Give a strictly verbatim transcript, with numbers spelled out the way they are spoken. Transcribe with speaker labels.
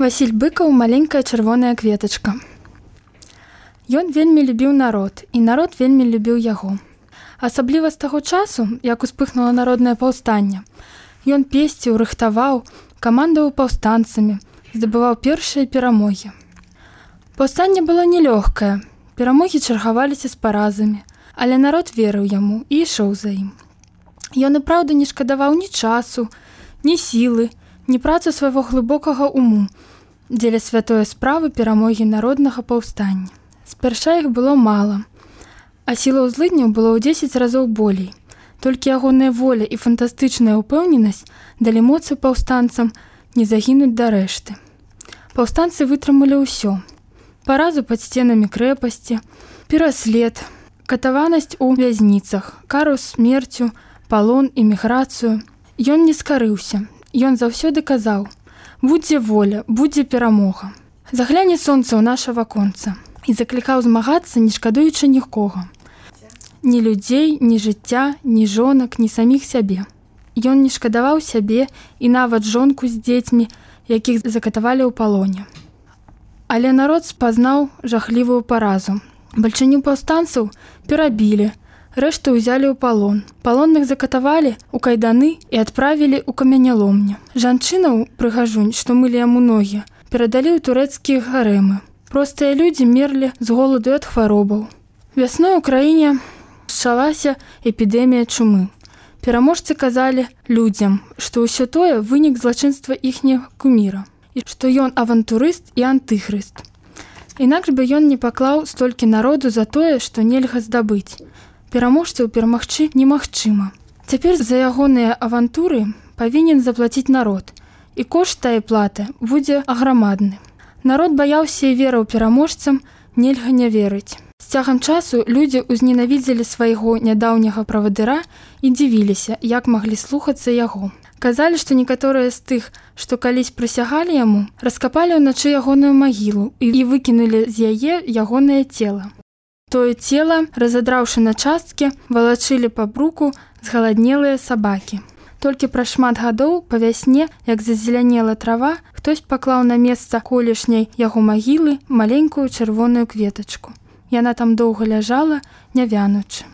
Speaker 1: Васіль Быкаў маленькая чырвоная кветачка. Ён вельмі любіў народ, і народ вельмі любіў яго. Асабліва з таго часу, як успыхнула народнае паўстанне, ён песціў, рыхтаваў, камандаваў паўстанцамі, здабываў першыя перамогі. Паўстанне было нелёгкае, перамогі чаргаваліся з паразамі, але народ верыў яму і ішоў за ім. Ён і праўда не шкадаваў ні часу, ні сілы, ні працу свайго глыбокага уму дзеля святое справы перамогі народнага паўстання. Спярша іх было мала, а сілаў злыдняў было ў дзесяць разоў болей. Толькі ягоная воля і фантастычная ўпэўненасць далі моцы паўстанцам не загінуць да рэшты. Паўстанцы вытрымалі ўсё. Паразу пад сценамі крэпасці, пераслед, катаванасць у вязніцах, кару смерцю, палон, эміграцыю. Ён не скарыўся. Ён заўсёды казаў: «Будзе воля, будзе перамога. Загляне сонца ў наша ваконца» і заклікаў змагацца, не шкадуючы нікога. Ні людзей, ні жыцця, ні жонак, ні саміх сябе. Ён не шкадаваў сябе і нават жонку з дзецьмі, якіх закатавалі ў палоне. Але народ спазнаў жахлівую паразу. Бальшыню паўстанцаў перабілі, рэшту ўзялі ў палон. Палонных закатавалі ў кайданы і адправілі ў каменяломню. Жанчынаў, прыгажунь, што мылі яму ногі, перадалі ў турэцкія гарэмы. Простыя людзі мерлі з голаду ад хваробаў. Вясной у краіне пачалася эпідэмія чумы. Пераможцы казалі людзям, што ўсё тое вынік злачынства іхняга куміра, і што ён авантурыст і антыхрыст. Інакш бы ён не паклаў столькі народу за тое, што нельга здабыць. Пераможцаў перамагчы немагчыма. Цяпер за ягоныя авантуры павінен заплаціць народ, і кошт тае платы будзе аграмадны. Народ баяўся і верыў пераможцам, нельга не верыць. З цягам часу людзі ўзненавідзелі свайго нядаўняга правадыра і дзівіліся, як маглі слухацца яго. Казалі, што некаторыя з тых, што калісь прысягалі яму, раскапалі ўначы ягоную магілу і выкінулі з яе ягонае цела. Тое цела, разадраўшы на часткі, валачылі па бруку згаладнелыя сабакі. Толькі праз шмат гадоў па вясне, як зазелянела трава, хтось паклаў на месца колішняй яго магілы маленькую чырвоную кветачку. Яна там доўга ляжала, не вянучы.